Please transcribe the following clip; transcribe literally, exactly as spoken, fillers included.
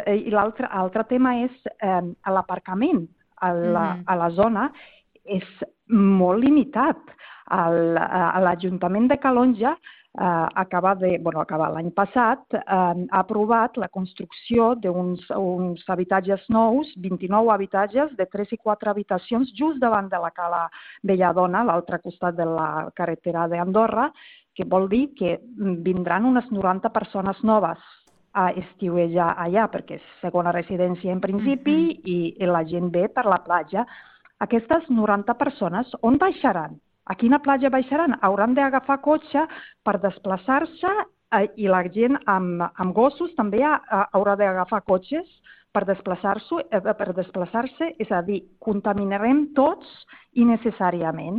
I l'altre tema és eh, l'aparcament a, la, Mhm. a la zona és molt limitat. El- a L'Ajuntament de Calonge eh, acaba de, bueno, acaba l'any passat, eh, ha aprovat la construcció d'uns uns habitatges nous, vint-i-nou habitatges de tres i quatre habitacions just davant de la Cala Belladona, a l'altre costat de la carretera d'Andorra, que vol dir que vindran unes noranta persones noves a estiuejar allà, perquè és segona residència en principi i, i la gent ve per la platja. Aquestes noranta persones on baixaran? A quina platja baixaran? Hauran d'agafar cotxe per desplaçar-se eh, i la gent amb, amb gossos també ha, ha, haurà d'agafar cotxes per desplaçar-se, eh, per desplaçar-se, és a dir, contaminarem tots innecessàriament.